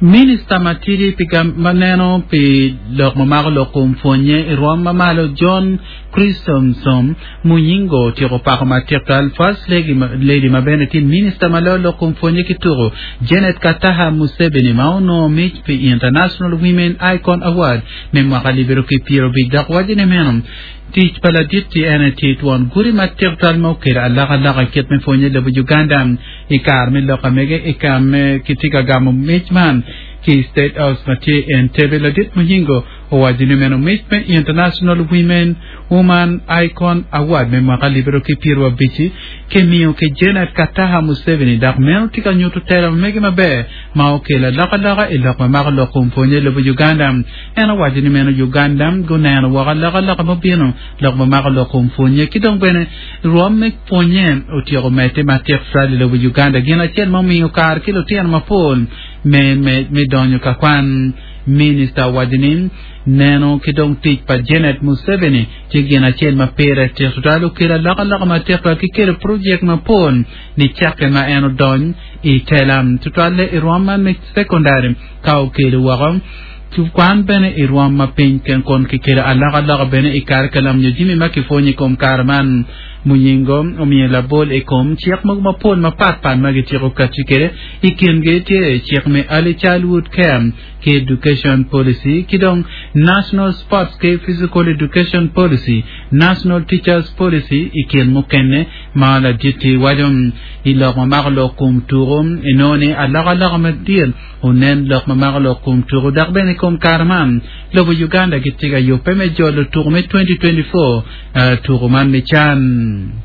Minista matidi pi ma neno pi lok ma mako lok kom pwonye i rwom ma malo John Chrysostom Muyingo otyeko pako matek twal First Lady ma bene tye minista ma loyo lok kom pwonye ki tuko Janet Kataha Museveni ma onongo mic pi International Women Icon Award me mwaka libiro ki 50 dok waco ni meno Tic pa ladit-ti en aye tye twon guti matek twal ma okelo alokaloka i kit me pwonye i lobo Uganda. I kare me lok amege i ka me kitye ka gamo mic man ki i State House ma tye i Entebbe, ladit Muyingo owaco ni meno mic me International Women Woman Icon Award me mwaka alip aryo ki pyerwa abic-ci kimiyo ki Janet Kataha Museveni dok meno tye ka nyuto tela ma mege maber ma okelo alokaloka i lok ma mako lok kom pwonye i lobo Uganda. En owaco ni meno Uganda guneno woko alokaloka ma obino lok ma mako lok kom pwonye ki dong bene rwom me pwonye otyeko medde matek tutwal i lobo Uganda gin acel ma omiyo kare ki lutino mapol me me donyo ka kwan. Minista owaco ni neno ki dong tic pa Janet Museveni tye gin acel ma pire tek tutwal okelo alokaloka matek tutwal ki kelo projek mapol nicakke ma en odony i tela tutwalle i rwom man me sekondari ka okelo woko Kwan bene i rwom ma piny kun kikelo alokaloka bene i karikalam nyo jami ma kipwonyo i kom kare man. Muyingo omiyo labol i kom cik mogo mapol mapat pat ma gityeko kati kwede. I kingi tye cik me Early Childhood Care ki Education Policy ki dong National Sports ki Physical Education Policy, National Teachers Policy i kin mukene ma ladit-ti waco. I lok ma mako lok kom tuko, inongo ni alokaloka madit Wunen lok ma mako lok kom tuku dok bene i kom kare man, lobo Uganda gitye ka yubbe me jolo tuku me 2024 tuku man me can.